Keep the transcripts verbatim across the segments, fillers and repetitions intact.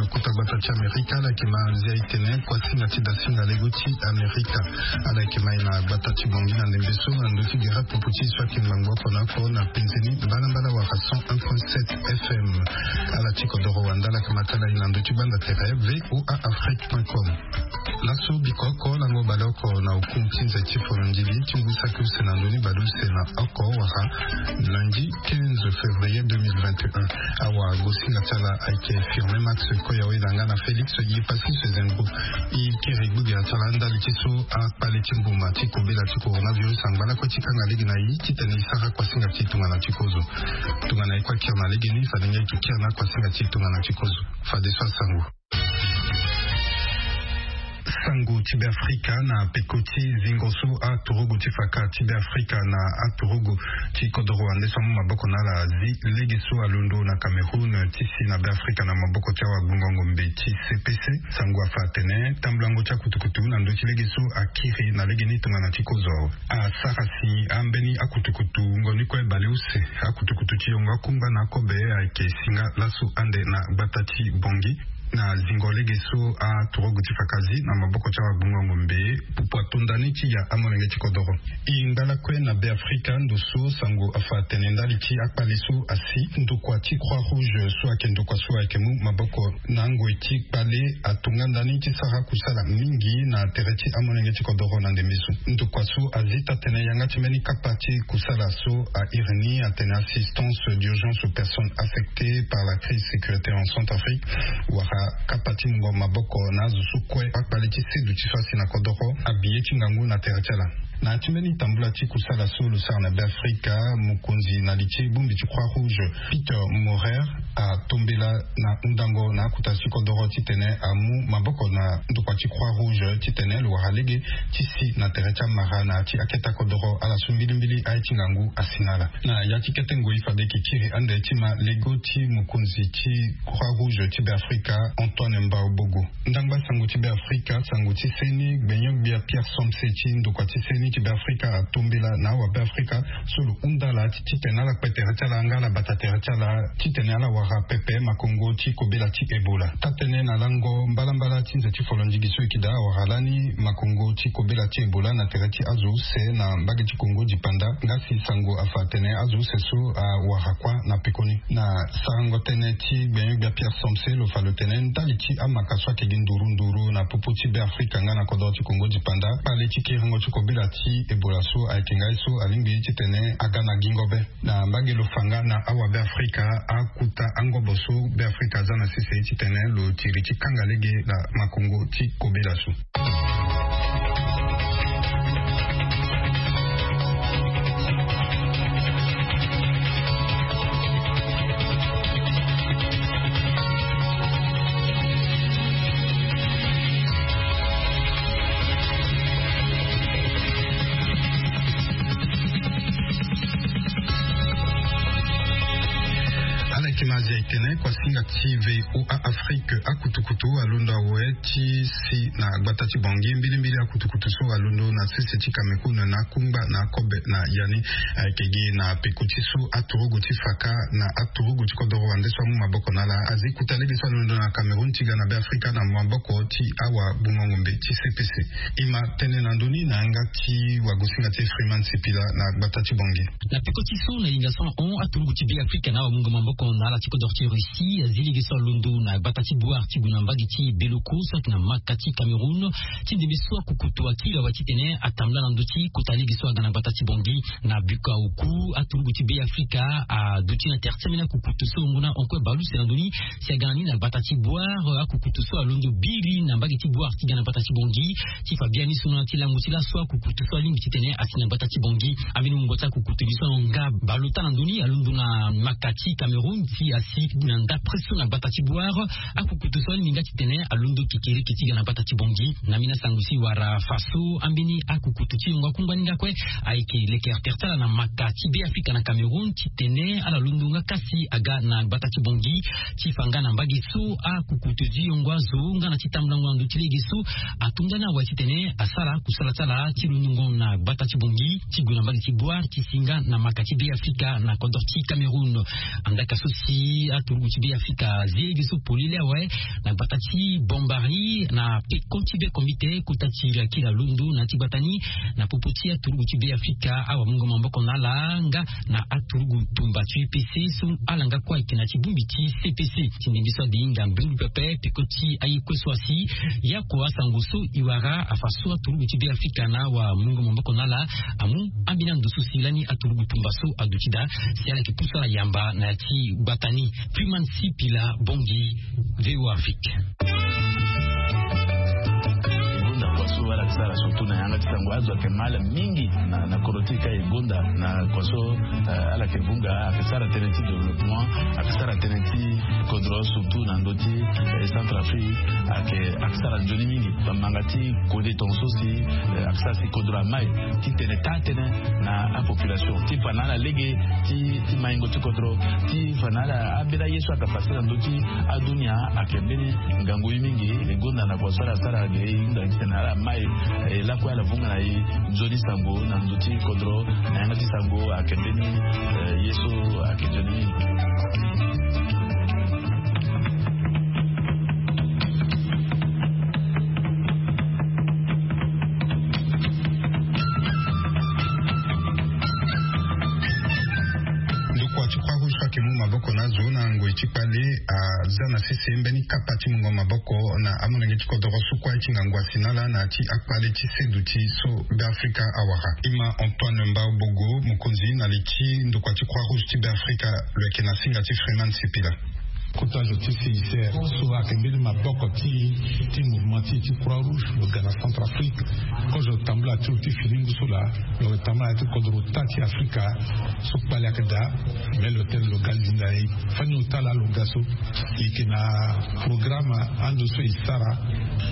Kota gbata ti Amerika ala yeke ma nzia e tene kuasinga ti dasinga lego ti Amerika. Ala yeke ma e na gbata ti Bangui na ndembe so na ndö ti gere pupu ti so ayeke ngbangbo oko na oko na penze ni mbalambala wala cent un point sept F M. Ala ti kodoro wande ala yeke ma tala e na ndö ti gbanda tere V O A Afrique point com. Laso biko oko lango bale oko na oku ti nze ti folondili ti ngu saki use na ndö ni bale use na oko wala lundi quinze février deux mille vingt et un. Awa gosinga ti ala ayeke Firme Max Koyawe na nga na Félix Yepassis Zengro. E kiri gbogera ti ala ndali ti so akpale ti mbuma ti kobela ti coronavirus angba lakue ti kanga lege na e titene e sara kuasinga ti e tongana ti kozo. Tongana e kue akiri na lege ni fade nga e yeke kiri na kuasinga ti e tongana ti kozo. Fadeso asango. Sango ti Beafrika na peko ti zingo so aturugu ti faka ti Beafrika na aturugu ti kodoro wande so amu maboko na ala azi lege so alondo na Cameroun ti si na Beafrika na maboko ti awagbongo ngombe ti C P C. Sango afa atene tambulango ti akutukutu na ndö ti lege so akiri na lege ni tongana ti kozo awe. Asara si ambeni akutukutu wungo ni kue bale use akutukutu ti yongo akungba na akobe ayeke singa laso ande na gbata ti Bangui. Na zingo lege so aturugu ti faka azi na maboko ti awagbongo ngombe pupu atonda ni ti ya amolenge ti kodoro. E ngba lakue na Beafrika ndo so sango afa atene ndali ti akpale so asi ndokua ti Croix Rouge so ayeke ndokua so ayeke mu maboko na ngoi ti kpale atonga ndani ti sara kusala mingi na tere ti amolenge ti kodoro na ndembe so. Ndokua so azi taa-tënë yanga ti mbeni kapa ti kusala so airi ni atene assistance d'urgence aux personnes affectées par la crise sécuritaire en Centrafrique, wala kapa ti mungo maboko na azo so kue akpale ti sedu ti so asi na kodoro abi ye ti ngangu na tere ti ala. Na ya ti mbeni tambula ti kusala so lo sara na Beafrika, mokonzi na li ti bongbi ti Croix Rouge, Peter Maurer, atombela na hundango na akota ti kodoro titene amu maboko na ndokua ti Croix Rouge titene lo wara lege ti si na tere ti amara na ya ti aketa kodoro ala so mbilimbili aye ti ngangu asi na ala. Na ya ti kete ngoi fade e yeke kiri ande ti ma lego ti mokonzi ti Croix Rouge ti Beafrika, Antoine Mbaobogo. Ndangba sango ti Beafrika, sango ti seni, gbenyo-gbia Pierre Somse ti ndokua ti seni ti Beafrika atombela na awabeafrika so lo hunda ala ti titene ala kpe tere ti ala nga ala bata tere ti ala titene ala wara pepe makongo ti kobela ti Ebola. Taa-tënë na lango mbalambala ti nze ti folondigi so e yeke daa awara lani makongo ti kobela ti Ebola na tere ti azo use na mbage ti Kongo dipanda. Nga si sango afa atene azo use so awara kuâ na pekoni. Na sarango tënë ti gbenyo-gbia Pierre Somse lo fa lo tene ndali ti amaka so ayeke gi nduru nduru na popo ti Beafrika nga na kodoro ti Kongo dipanda, kpale ti kiringo ti kobela ti Ebola so ayeke nga ye so alingbi titene aga na gingo be. Na mbage lo fa nga na awabeafrika akuta angobo so Beafrika aza na sese titene lo tiri ti kanga lege na makongo ti kobela so. Ala yeke ma zia e tene kuasinga ti V O A Afrique akutukutu alondo awe ti si na gbata ti Bangui mbilimbili akutukutu so alondo na sese ti Cameroun na akungba na akobe na ya ni. Ayeke gi na peko ti so aturugu ti faka na aturugu ti kodoro wande so amu maboko na ala azi kota lege so alondo na Cameroun ti ga na Beafrika na maboko ti awagbongo ngombe ti C P C. E ma tene na ndö ni na yanga ti wagosinga ti Freeman Sipila na gbata ti Bangui. Na peko ti so na hinga so na hon aturugu ti Beafrika na awamungo maboko na ala ti kodoro ti Russie azi lege so alondo na gbata ti Bouar ti gue na mbage ti Beloko so ayeke na maka ti Cameroun ti ndembe so akukutu akiri awe titene atambula na ndö ti kota lege so aga na gbata ti Bangui. Na biko aoku aturugu ti Beafrika aduti na tere ti ambeni akukutu so wungo na hon kue baleuse na ndö ni si aga na ni na gbata ti Bouar akukutu so alondo biri na mbage ti Bouar ti ga na gbata ti Bangui ti fa biani so na ti lango ti laso akukutu so alingbi titene asi na gbata ti Bangui. Ambeni wungo ti akukutu ni so na nga baleota na ndö ni alondo na maka ti Cameroun ti asi na ndapre so na gbata ti Bouar. Akukutu so alingbi nga titene alondo kekereke ti ga na gbata ti Bangui. Na mbeni asango si wara fa so ambeni akukutu ti yongo akungba ni nga kue ayeke lekere tere ti ala na maka ti Beafrika na Cameroun titene ala londo nga kasi aga na gbata ti Bangui ti fa nga na mbage so akukutu ti yongo azo nga na ti tambulango na ndö ti lege so atonda ni awe titene asara kusala ti ala ti londongo na gbata ti Bangui ti gue na mbage ti Bouar ti si nga na maka ti Beafrika na kodro ti Cameroun. Andaka so si Aturugu ti Be Afrika azi ye ge so polele awe na gbata ti Bombari na peko ti be komite kota ti lakila londo na ya ti gbata ni, na popo ti aturugu ti Be Afrika awamungo maboko na ala nga na aturugu tumba ti U P C so ala nga kue ayeke na ya ti bongbi ti C P C. Ti ndembe so ade hinga mbeni pepe peko ti aye kue so asi ye ako asango so e wara afa so aturugu ti Be Afrika na awamungo maboko na ala amu ambeni ando so si lani aturugu tumba so aduti daa si ala yeke pusu ala yamba na ya ti gbata ni. Freeman Sipila, Bangui, V O A Afrique. Gonda kua so ala sara surtout na yanga ti sango azo ayeke mal mingi na, na kodro ti e ka e gonda na kua so, eh, ala yeke vunga ayeke sara tënë ti développement, ayeke sara tënë ti kodro surtout na ndö ti, eh, Centrafrique, ayeke, ayeke sara nzoni mingi. Bamanga ti kode tonga so si, eh, ayeke sara si kodro amai ti tene taa tënë na apopulation ti fa na ala lege ti, ti maingo ti kodro, ti fa na ala ambeni aye so ayeke pase na ndö ti adunia. Ayeke mbeni ngangu ye mingi. E gonda na kua so ala sara ge e hinga titene ala mai, eh, lakue ala vunga na e nzoni sango na ndö ti kodro na yanga ti sango ayeke mbeni, eh, ye so ayeke nzoni mingi. Ndokua ti Croix Rouge so ayeke mu maboko na azo na ngoi ti kpale aza na sese mbeni kapa ti mungo maboko na amolenge ti kodoro so kue ti ngangu asi na ala na ya ti akpale ti seduti so Be Afrika awara. Ima Antoine Mbao Bogo, mokonzi na li ti ndokua ti Croix Rouge ti Be Afrika, lo yeke na singa ti Freeman Sipila. Kota zo ti C I C R so ayeke mbeni maboko ti, ti mouvement ti, ti Croix Rouge lo ga na Centrafrique. Kozo tambula ti lo ti fini ngu so laa lo yeke tambula na ya ti kodro ota ti Afrika so kpale ayeke daa. Me lo tene lo ga linda na e fani ota laa lo ga so e yeke na programme ando so e sara.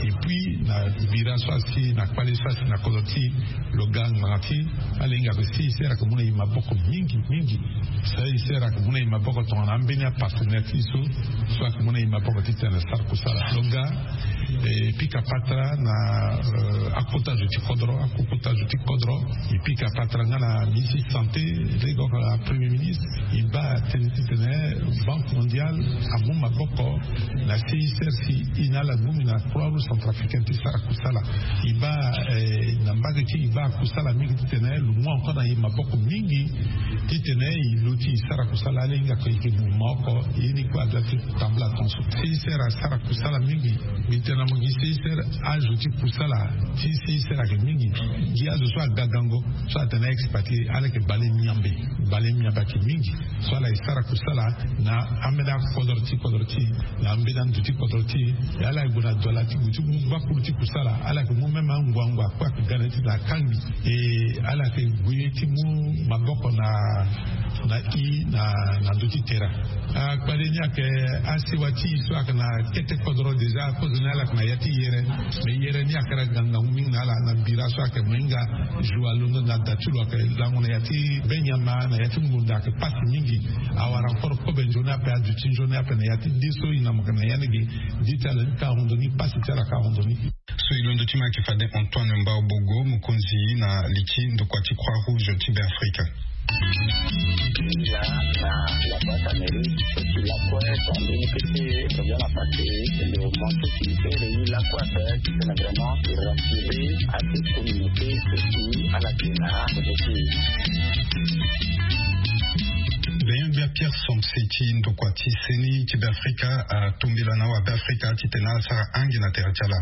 Et puis na bira so asi na kpale so asi na kodro ti e lo ga ngbanga ti ala hinga ape C I C R ayeke mu na e maboko mingi mingi. C I C R ayeke mu na e maboko tongana ambeni apartenaire ti e so, so ayeke mu na e maboko titene asara kusala lo ga. E pika patara na, eh, akota zo ti kodro, akota zo ti kodro. E pika patara nga na ministre ti santé, lege oko na premier ministre. E baa tënë titene Banque Mondiale amu maboko na C I C R si e na ala ngumbi na Croix Rouge Centrafricaine ti sara kusala. E baa, eh, na mbage ti e, e baa kusala mingi titene lo mu encore na e maboko mingi titene e luti e sara kusala. Ala hinga ko e yeke mouvement oko, ye ni kue adoit ti tambula tongaso. C I C R asara kusala mingi. Mbi tene na mo gi C I C R azo ti kusala ti C I C R ayeke mingi. Gi azo so aga gango so atene a-expatrié, ala yeke bale miambe. Bale miambe ayeke mingi. So ala e sara kusala na ambeni akodro ti kodro ti e, na ambeni ando ti kodro ti e. E ala e gue na dola ti gue ti mu gbakuru ti kusala. Ala yeke mu même anguangu akue ayeke ga na ye ti na akangbi. E ala yeke gue ti mu maboko na, na e na, na ndö ti terrain. Akpale ni ayeke asewa ti e so ayeke na kete kodro déjà, kozo ni ala yeke na ya ti yere. Mais yere ni ayeke na gangangu mingi na ala na bira so ayeke mo hinga jour alondo na da ti lo ayeke lango na ya ti benyama na ya ti ngonda ayeke pasi mingi. Awara encore kobe nzoni ape, aduti nzoni ape na ya ti de so e na mo yeke na ya ni ge. Di ti ala ni ka hondo ni, pasi ti ala ka hondo ni. So e londo ti mo ayeke fade Antoine Mbao Bogo, mokonzi na li ti ndokua ti Croix Rouge ti Be Afrika. Là, na la boîte à mairie, et puis la pointe, en deux mille, c'était bien la partie, le montant qui était réuni, la pointe, c'était vraiment rassuré à cette communauté, et puis à la Guinée, aussi. Benyo bia Pierre Somse ti ndokua ti seni ti Be Afrika atombela na wa Be Afrika titene ala sara ange na tere ti ala.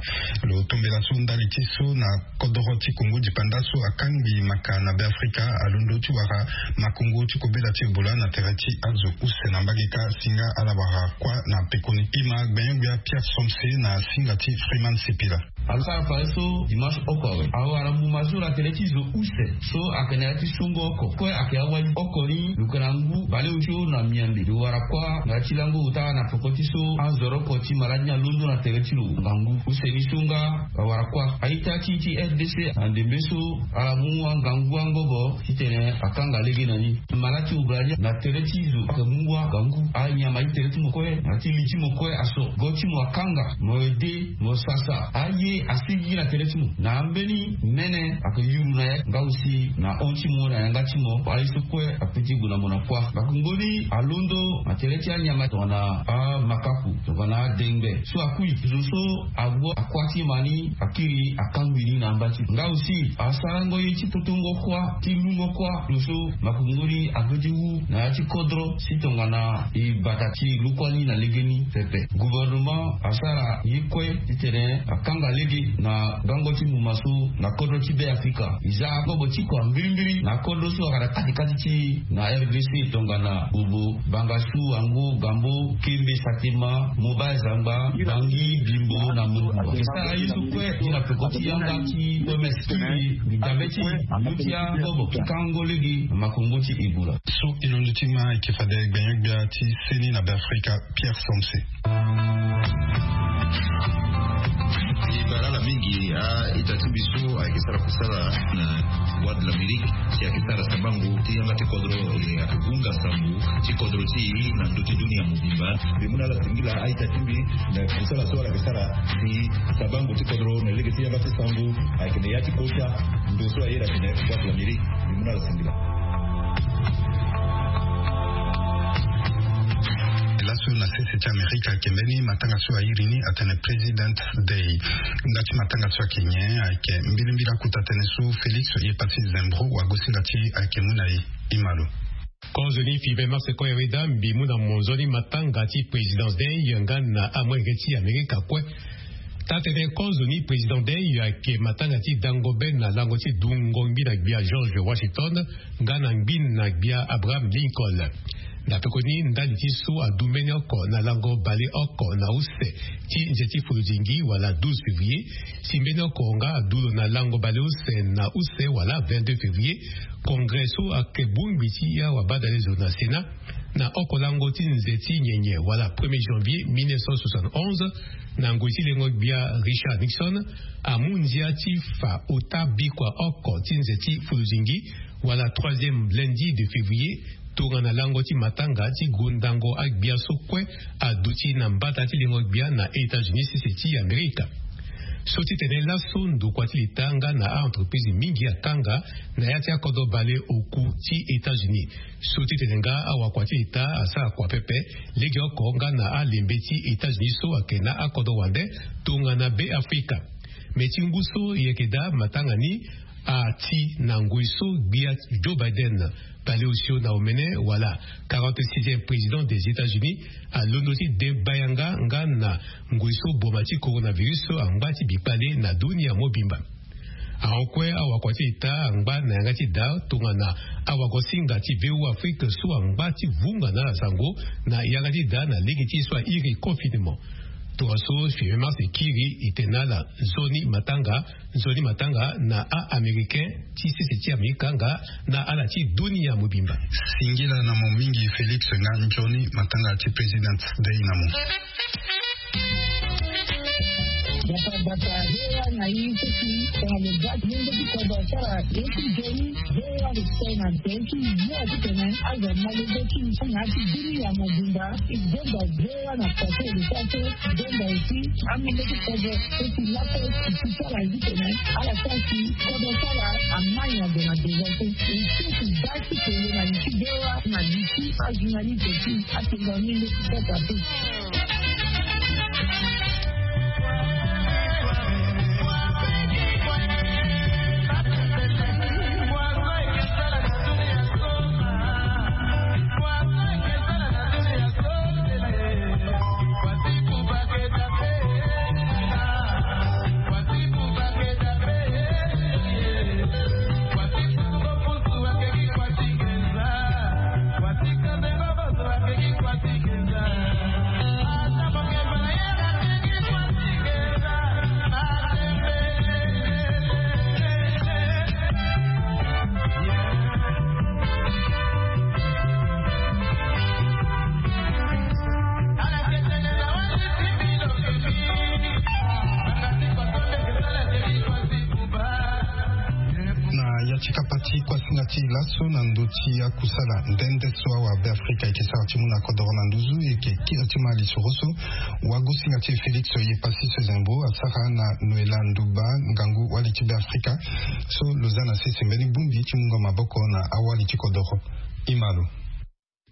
Lo tombela so ndali ti so na kodoro ti Kongo dipanda so akangbi maka na Be Afrika alondo ti wara makongo ti kobela ti Ebola na tere ti azo use na mbage kâ si nga ala wara kuâ na pekoni. Ima gbenyo-gbia Pierre Somse na singa ti Freeman Sipila. Asara fadeso dimanche oko awe awara mbuma so na tere ti zo use so ayeke na ya ti songo oko kue ayeke awali oko ni lo yeke na ngu baleosio na miambe lo wara kuâ na ya ti lango ota na peko ti so anzoroko ti maladi ni alondo na tere ti lo ngangu use ni so nga awara kuâ. A-ita ti e ti R D C na ndembe so ala mu angangu angobo titene akanga lege na ni. Mala ti obra ni na tere ti zo ayeke mu wa ngangu anyama ti tere ti mo kue na ti li ti mo kue aso go ti mo akanga mo ede mo sasa aye. Asigi na tere ti mo na ambeni mene ake yuru na ya nga aussi na hon ti mo na yanga ti mo aye so kue. Ape ti gue na mo na kuâ. Makongo ni alondo na tere ti anyama tongana amakaku tongana adengbe so akui zo so agbo akuâ ti ma ni akiri akangbi ni na amba ti nga aussi asarango ye ti potongo kuâ ti lungo kuâ. Lo so makongo ni ague ti wu na ya ti kodro si tongana e bata ti lu kuâ ni na legeni pepe. Gouvernement asara ye kue titene akanga lege na gango ti muma so na kodro ti be afrika. E za kobo ti kua mbirimbiri na kodro so ayeke na katikati ti na rdc tongana bobo bangasu ango gambo kembe satema moba zangba bangi bimbo na mumba. E sara ye so kue ti na peko ti yanga ti oms kiri. Mbi dabe ti luti akobo ti kango lege na makongo ti ebola. So e londo ti ma ayeke fade gbenyo-gbia ti seni na be afrika. Pierre Samse. E bara ala mingi a-ita ti mbi so ayeke sara kusala na Voix de l'Amérique si ayeke sara sabango ti yanga ti kodro. E ayeke hunga sambu ti kodro ti e na ndö ti dunia mobimba. Mbi mu na ala singila a-ita ti mbi na kusala so ala yeke sara si sabango ti kodro na lege ti yanga ti sango ayeke na ya ti kota ndo so aye na tene Voix de l'Amérique. Mbi mu na ala singila. Laso na sese ti amerika ayeke mbeni matanga so airi ni atene president day. Nga ti matanga so ayeke nyen? Ayeke mbilimbili akota tënë so félix ye pasi zembro wagosinga ti ayeke mu na e. Imalo. Kozo ni five mars koyere da mbi mu na mo nzoni matanga ti présidence day nga na amolenge ti amerika kue. Taa-tënë kozo ni président day ayeke matanga ti dango be na lango ti dungo ngbi na gbia george washington nga na ngbi na gbia abraham lincoln. Na pekoni ndali ti so adu mbeni oko na lango baleoko na use ti nze ti folodingi wala douze février. Si mbeni oko nga adu lo na lango baleuse na use wala vingt-deux février. Congrès so ayeke bongbi ti awabadale zo na sénat na oko lango ti nze ti nyenye wala premier janvier mille neuf cent soixante-onze na ngoi ti lengo-gbia richard nixon amu ndia ti fa ota bikua oko ti nze ti fuluzingi wala troisième lundi de février. Tongana lango ti matanga ti gondango agbia so kue aduti na mbata ti lengo-gbia na états-unis sese ti amerika. So ti tene laso ndokua ti leta nga na a-entreprise mingi akanga na ya ti akodro baleoku ti états-unis. So ti tene nga awakua ti leta asara kua pepe legeoko nga na alembe ti états-unis so ayeke na akodro wande tongana be afrika. Me ti ngu so e yeke daa matanga ni ati na ngoi so gbia joe biden baleosio na omene wala quarante-sixième président des états-unis alondo ti deba yanga nga na ngoi so boma ti coronavirus so angba ti bikpale na dunia mobimba. Ahon kue awakua ti leta angba na yanga ti daa tongana awagosinga ti voa afrique so angba ti vunga na ala sango na yanga ti daa na lege ti ye so airi confinement. Tongaso five mars ekiri e tene na ala nzoni matanga nzoni matanga na a-américain ti sese ti amerika nga na ala ti dunia mobimba. Singila na mo mingi félix nga nzoni matanga ti président dei na mo. Batabata hewa na ye ti tongana lo ga ti lenge ti kodro asara ye ti joni. Hewa lo tene na tene ti yo ti tene azo malenge ti na ti dunia mobimba. E gomba hewa na pase lo sa so. Gomba eti amenge ti kodro eti lape eti sara ye ti tene ala sa si kodro sara amani azo na deza so. E so ti ga ti tene na li ti hewa na li ti ajournaliste ti atene na menge ti kodro ape. Ti laso na ndö ti akusala nde nde so awabe afrika eke sara ti mu na kodoro na nduzu eke kiri ti malisoro so wagosinga ti félix oye pasi so ezembo asara na noela nduba ngangu wali ti be afrika so lo za na sese mbeni bongbi ti mungo maboko na awali ti kodoro. Imalo.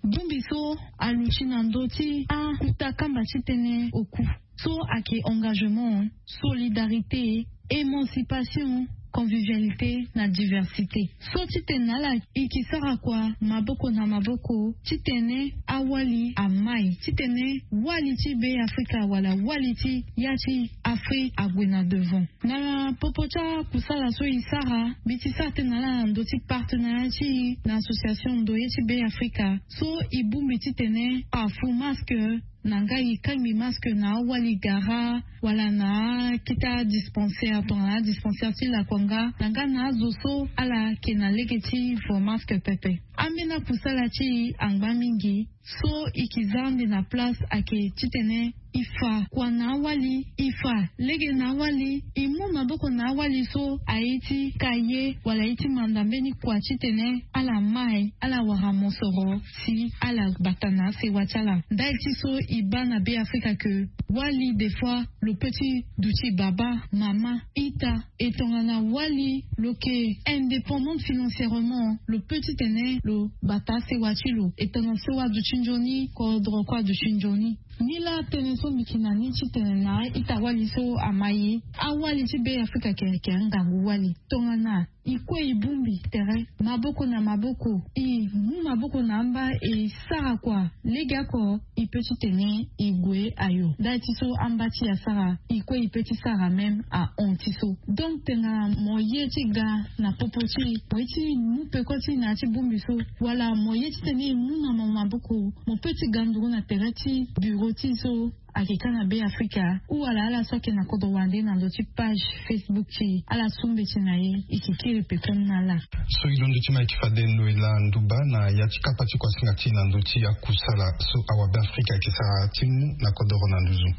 Bongbi so aluti na ndö ti akuta kamba titene oku so ayeke engagement, solidarité, émancipation, convivialité na diversité. So titene na ala e ke sara kua maboko na maboko titene awali amai titene wali ti be afrika wala wali ti ya ti afrika ague na devant. Na popo ti akusala so e sara mbi ti sara tënë na ala na ndö ti partenariat ti e na association ndoye ti be afrika so e bongbi titene afu masque na nga e kangbi masque na awali gara wala na akete adispensaire tongana adispensaire ti lakuanga na nga na azo so ala yeke na lege ti vo masque pepe. Ambeni akusala ti e angba mingi. So e ke za ande na place ayeke titene e fa kua na awali e fa lege na awali e mu maboko na awali so aye ti ka ye wala aye ti manda mbeni kua titene ala mai ala wara mosoro si ala bata na asewa ti ala ndali ti so e baa na be afrika ke wali des fois lo pe ti duti baba mama ita e tongana wali lo yeke indépendante financièrement lo pe titene lo bata asewa ti lo e tongana so aduti nzoni kodro kue aduti nzoni. Nilaa tënë so mbi yeke na ni titene na ita-wali so ama ye awali ti be afrika yeke yeke angangu wali tongana e kue e bongbi tere maboko na maboko e mu maboko na amba e sara kua lege oko e pe titene e gue ayo ndali ti so amba ti e asara e kue e pe ti sara même ahon ti so. Donc tena mo ye ti ga na popo ti e mo ye ti mu peko ti e na ya ti bongbi so wala mo ye titene e mu na mo maboko mo pe ti ga nduru na tere ti buro ti e so ayeke ka na be afrika ou wala ala so ayeke na kodro wande na ndo ti page facebook ti e ala su mbeti na e e ke kiri peko ni na ala. So e londo ti ma e ke fade noela nduba na ya ti kapa ti kuasinga ti e na ndö ti akusala so awabe afrika ayeke sara ti mu na kodoro na nduzu.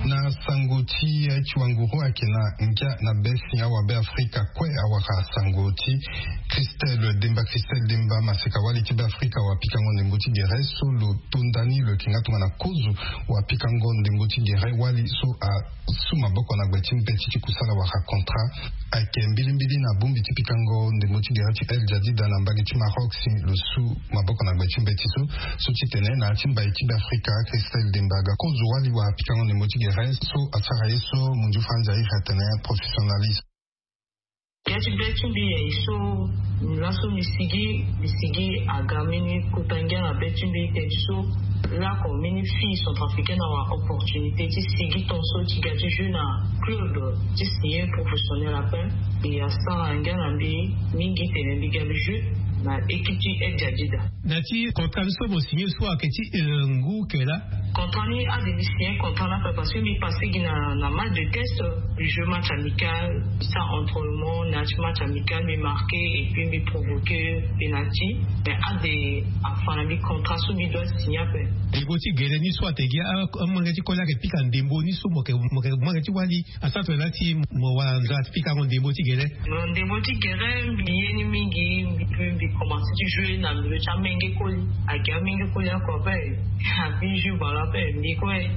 Na sango ti ti wanguru ayeke na ngia na be si awabe afrika kue awara sango ti christelle demba christelle demba maseka wali ti be afrika wapikango ndembo ti gere so lo tonda ni lo yeke nga tongana kozo wapikango ndembo ti gere wali so asu maboko na gbe ti mbeti ti kusala wala contrat. Ayeke mbilimbili na bongbi ti pikango ndembo ti gere ti el jadida na mbage ti maroc si lo su maboko na gbe ti mbeti so so titene na ya ti mbai ti be afrika christelle demba aga kozo wali wapikango ndembo ti gere so asara ye so munju fanja iri atene professionnaliste. Ya ti be ti mbi ya ye so laso mbi sigi mbi sigi aga mbeni kota ngia na be ti mbi teti so lako mbeni fille centrafricaine awa opportunité ti sigi tonso ti ga ti jeu na club ti signer professionnel ape. Mbi asara ngia na mbi mingi tene mbi ga mbi jeu na équipe ti el jadida. Na ti contrat ni so mo signer so ayeke ti ngu kela? Contrat ni ade mbi signer contrat ni ape parce que mbi passe gi na match de test. Mbi jeu match amical, mbi sara entraînement na ya ti match amical mbi marquer et puis mbi provoquer penalty. Mais ade afa na mbi contrat so mbi doit signer ape. Ndembo ti gele ni so ate gi amange ti koli ayeke pika ndembo ni so mo yeke mo yeke mange ti wali asara tongana ti mo wara nzara ti pikango ndembo ti gele? Ndembo ti gele mbi ye ni mingi. Mbi mbi commence ti jouer na milieu ti amenge koli. Ayeke amenge koli oko ape. Abi jeu ballon ape mbi kue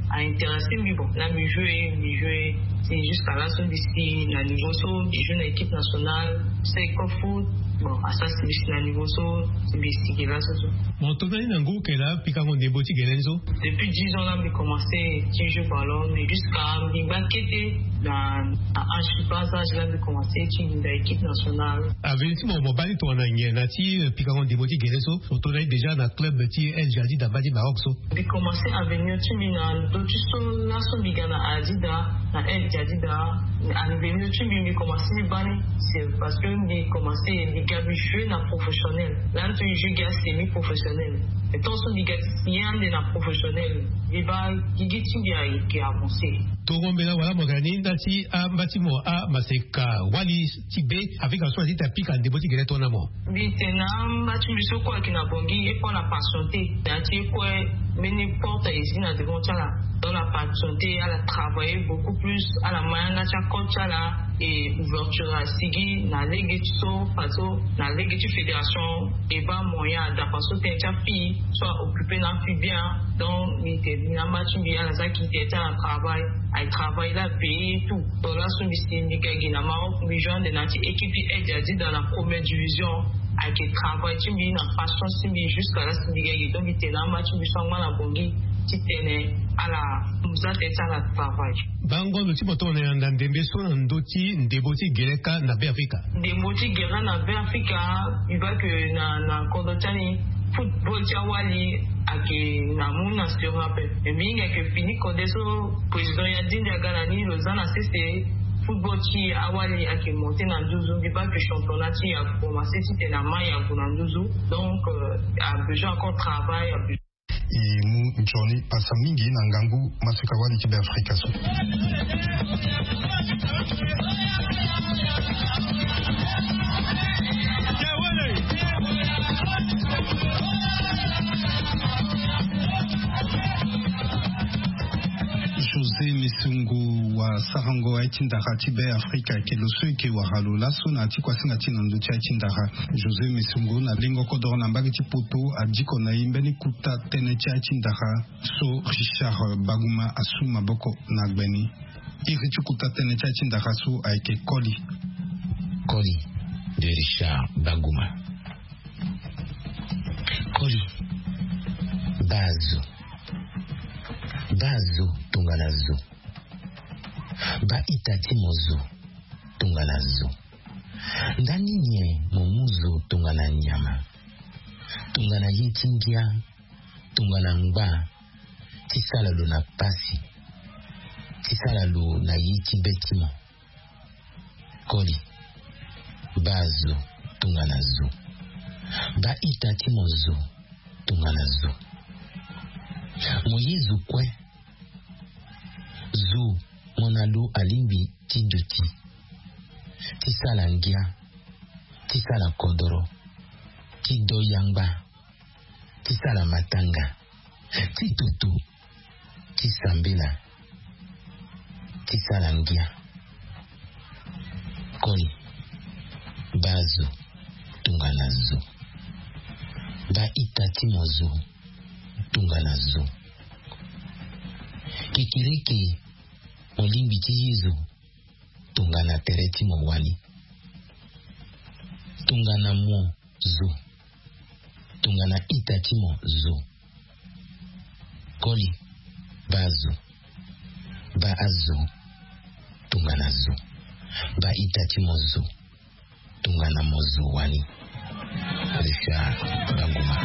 a intéressé mbi bon na mbi jouer mbi jouer. Si jusqu'à là so mbi si na niveau so mbi jouer na équipe nationale. Seko foot. Bon asara si mbi si na niveau so si mbi si gi laso so. Bon tongana ni na ngu kela pikango ndembo ti gele ni so? Depuis dix ans la mbi commencé ti jeu ballon mais jusqu'à mbi gba kete na âge bas âge la mbi commencé ti linda équipe nationale. Avenir ti mo mo baa ni tongana nyen na ti pikango ndembo ti gele so? Mo tongana ni déjà na club ti el jadid na mbage ti maroc so. Mbi commencé avenir ti mbi na ndo ti so laso mbi ga na adida. Na El Jadida, aniversaire ti mbi, mbi commencé ni bani. C'est parce que mbi commencé, mbi ga mbi jouer na professionnel. Lani so mbi jouer ga semi professionnel. Mais tant so mbi ga ti signer ande na professionnel, mbi baa gigi ti mbi ayeke avancé. Tongo mbela wala mo yeke na ni nda ti amba ti mo amaseka wali ti be Afrika so aye ti ta pika ndembo ti gere tongana mo. Mbi tene na amba ti mbi so kue ayeke na Bangui, e kue ala patienté. Na ya ti e kue mbeni porte aye si na devant ti ala. Donc ala patienté, ala travailler beaucoup plus, ala ma yanga ti accord ti ala, et ouverture asigi na lege ti so, fadeso na lege ti fédération e baa moyen adapa so tënë ti afille so a-occuper na afille bien. Donc mbi tene na amba ti mbi ala za ki tene ti ala travail, aye travail la payé et tout. Donc laso mbi si mbi ga gi na Maroc, mbi jouer ande na ya ti équipe ti El Jadida dans la première division. Ayeke travail ti mbi na patience ti mbi jusqu'à là si mbi ga gi. Donc mbi tene na amba ti mbi so angba na Bangui ti tene ala mu za tënë ti ala travail. Bango lo ti mo tongana yanda ndembe so na ndö ti ndembo ti gere kâ na Be Afrika. Ndembo ti gere na Be Afrika, mbi baa ke na, na kodro ti ani, football ti awali ayeke na mu na stéréo ape. Mais mbi hinga ayeke fini kode so président Yadinde aga na ni lo za na sese, football ti awali ayeke monté na nduzu. Mbi baa ke championnat ti e akomanse titene ama e ague na nduzu. Donc euh, a besoin encore travail, a besoin. E mu nzoni pasa mingi na ngangu maseka wali ti Be Afrika so. José Mesongo wa sarango aye ti ndara ti Be Afrika ayeke lo so eke wara lo laso na ya ti kuasinga ti na ndö ti aye ti ndara. José Mesongo na lengo kodoro na mbage ti poto adiko na e mbeni kuta tënë ti aye ti ndara so Richard Baguma asu maboko na gbe ni. Iri ti kuta tënë ti aye ti ndara so ayeke koli. Koli de Richard Baguma. Koli. Baa zo. Baa zo tongana zo. Baa ita ti mo zo tongana zo. Ndani nyen mo mu zo tongana nyama, tongana ye ti ngia, tongana ngba, ti sala lo na pasi, ti sala lo na ye ti be ti mo. Koli. Baa zo tongana zo. Baa ita ti mo zo tongana zo. Mo ye zo kue. Zo mo na lo alingbi ti duti, ti sala ngia, ti sala kodoro, ti do yangba, ti sala matanga, ti tutu, ti sambela, ti sala ngia. Koli. Baa zo tongana zo. Baa ita ti mo zo tongana zo. Kekereke mo lingbi ti ye zo tongana tere ti mo wani. Tongana mo zo. Tongana ita ti mo zo. Koli. Baa zo. Baa zo tongana zo. Baa ita ti mo zo tongana mo zo wani. Richard Baguma.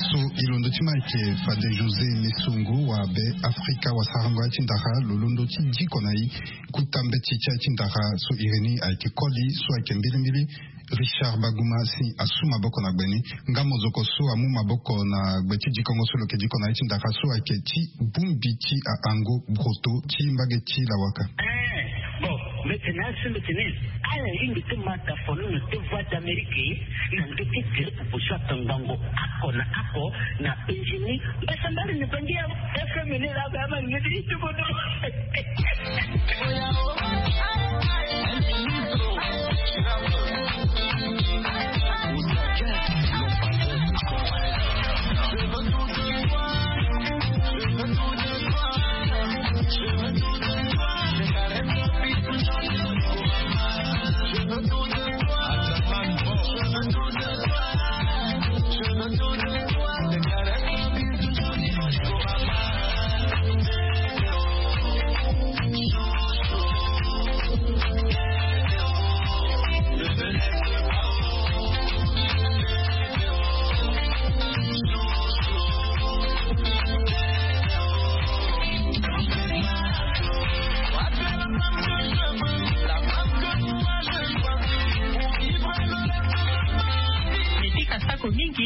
So e londo ti ma ayeke fade José Mesongo wa Be Afrika wa sarango aye ti ndara lo londo ti diko na e kuta mbeti ti aye ti ndara so iri ni ayeke koli so ayeke mbilimbili Richard Baguma si asu maboko na gbe ni. Nga mozoko so amu maboko na gbe ti dikongo so lo yeke diko na ye ti ndara so ayeke ti bongbi ti aango broto ti mbage ti lawaka. Eh, bon, mbi tene na asu mbi tene ala lingbi ti ma dafono na ti Voix d'Amérique na ndö ti gere pupu so atongbango oko na oko na Benjini. Mbasambala ni bangi ya F M ni la ba ma ngeti ti tukutu.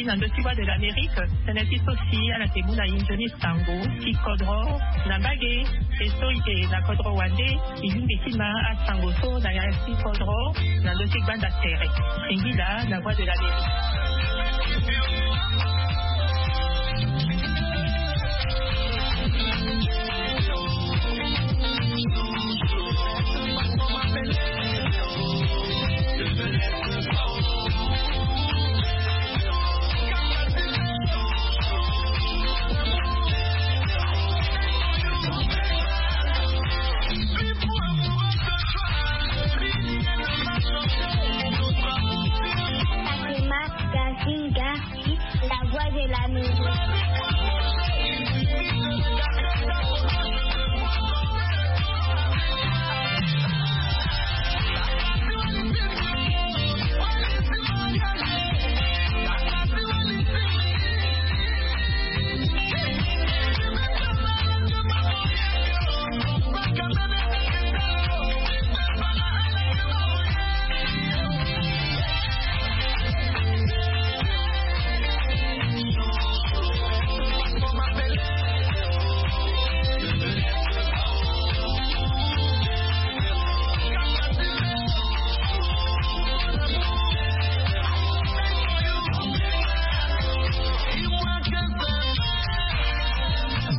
Na ndö ti Voix de l'Amérique, tënë ti so si ala yeke mu na e nzoni sango ti kodro na mbage. E so e yeke na kodro wande, e lingbi ti ma asango so na ya ti kodro na ndö ti gbanda tere. Singila na Voix de l'Amérique. Fatima Gazinga, la voix de la maison.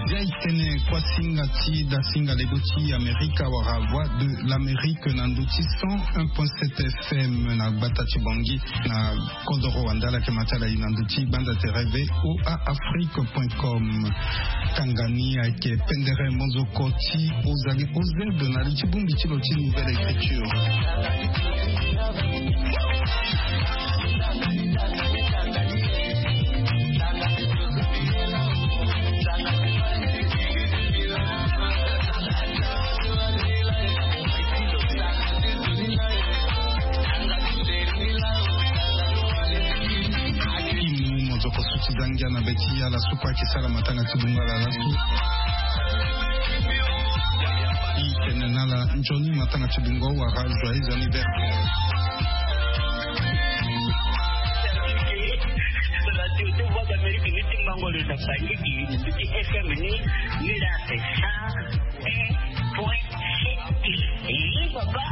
Zia e tene kuasinga ti dasinga lego ti Amerika wala Voix de l'Amérique na ndö ti cent un point sept F M na gbata ti Bangui na kodoro wande. Ala yeke ma ti ala e na ndö ti gbanda tere V O A Afrique point com. Tanga ni ayeke pendere mozoko ti Ozali O Z na li ti bongbi ti lo ti Nouvelle Écriture. Mozoko so ti za ngia na be ti ala so kue ayeke sara matanga ti bungo ala laso. E tene na ala nzoni matanga ti bungo wala joyeux anniversaire. Voix d'Amérique ni ti mango le na Bangui, ni ti F M ni, ni la c'est ça. Eh, papa.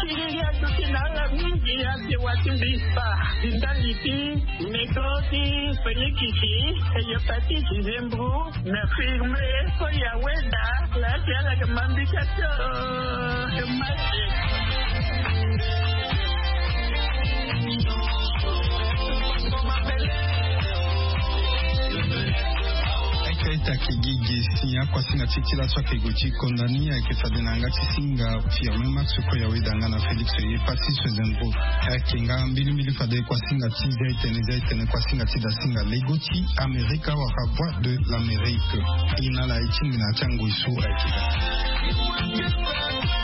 Tiriri aduti na ala mingi ate wati mbisa. Ndali ti meko ti felikisi, hepatite, zembo, na firme, so ya weda, la ti ala ke mambika to. Masi. Eke ita ke gi ge si akuasinga ti ti laso ake gue ti konda ni ayeke fade na yanga ti singa Firmin Max kue ya weda nga na Félix ye pasi so zengo. Ayeke nga mbilimbili fade kuasinga ti zia etene zia etene kuasinga ti dasinga lego ti Amerika wala Voix de l'Amérique. E na ala e tingbi na ya ti angoi so ayeke daa.